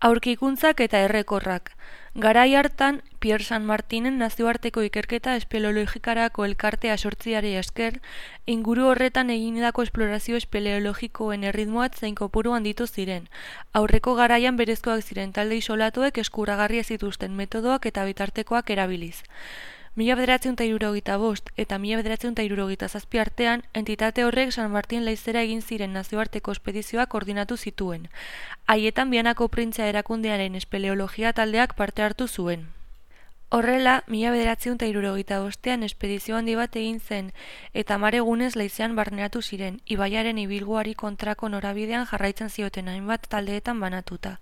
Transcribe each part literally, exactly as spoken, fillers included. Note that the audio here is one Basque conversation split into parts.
Aurkikuntzak eta errekorrak. Garai hartan, Pierre San Martinen nazioarteko ikerketa espeleologikarako elkartea sortziari esker, inguru horretan egindako esplorazio espeleologikoen erritmoat zein kopuru handitu ziren. Aurreko garaian berezkoak ziren talde isolatuek eskuragarri ez zituzten metodoak eta bitartekoak erabiliz. Mila bederatziehun eta hirurogeita bost eta mila bederatziehun eta hirurogeita zazpi artean, entitate horrek San Martin leizera egin ziren nazioarteko espedizioak koordinatu zituen. Haietan Bianako printzea erakundearen espeleologia taldeak parte hartu zuen. Horrela, mila bederatziehun eta hirurogeita bostean espedizio handi bat egin zen eta hamar egunez leizean barneratu ziren, ibaiaren ibilguari kontrako norabidean jarraitzen zioten hainbat taldeetan banatuta.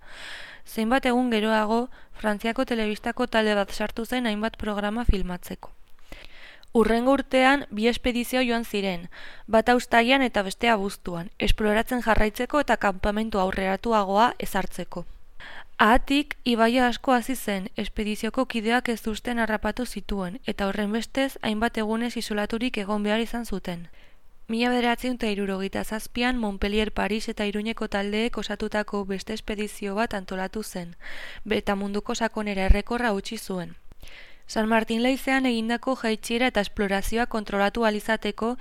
Zeinbat egun geroago, Frantziako telebistako talde bat sartu zen hainbat programa filmatzeko. Hurrengo urtean, bi espedizio joan ziren, bata uztailean eta bestea abuztuan, esploratzen jarraitzeko eta kanpamentu aurreratuagoa ezartzeko. Ahatik, ibaia asko hasi zen, espedizioko kideak ez uzten harrapatu zituen, eta horren bestez, hainbat egunez isolaturik egon behar izan zuten. Mila bederatziehun eta hirurogeita zazpian Montpellier, Paris eta Iruñeko taldeek osatutako beste espedizio bat antolatu zen, eta munduko sakonera errekorra utzi zuen. San Martin leizean egindako jaitsiera eta esplorazioa kontrolatu ahal izateko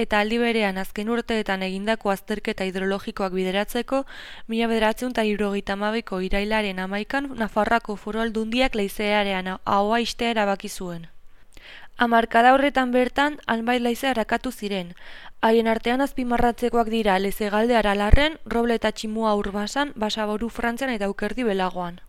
eta aldi berean azken urteetan egindako azterketa hidrologikoak bideratzeko, mila bederatziehun eta hirurogeita hamabiko irailaren hamaikan Nafarroako Foru Aldundiak leizearean ahoa ixtea erabaki zuen. Hamarkada horretan bertan, hainbat leize arakatu ziren. Haien artean azpimarratzekoak dira Lezegalde Aralarren, Roble eta Tximua Urbasan, Basaboru Frantzian eta Aukerdi Belagoan.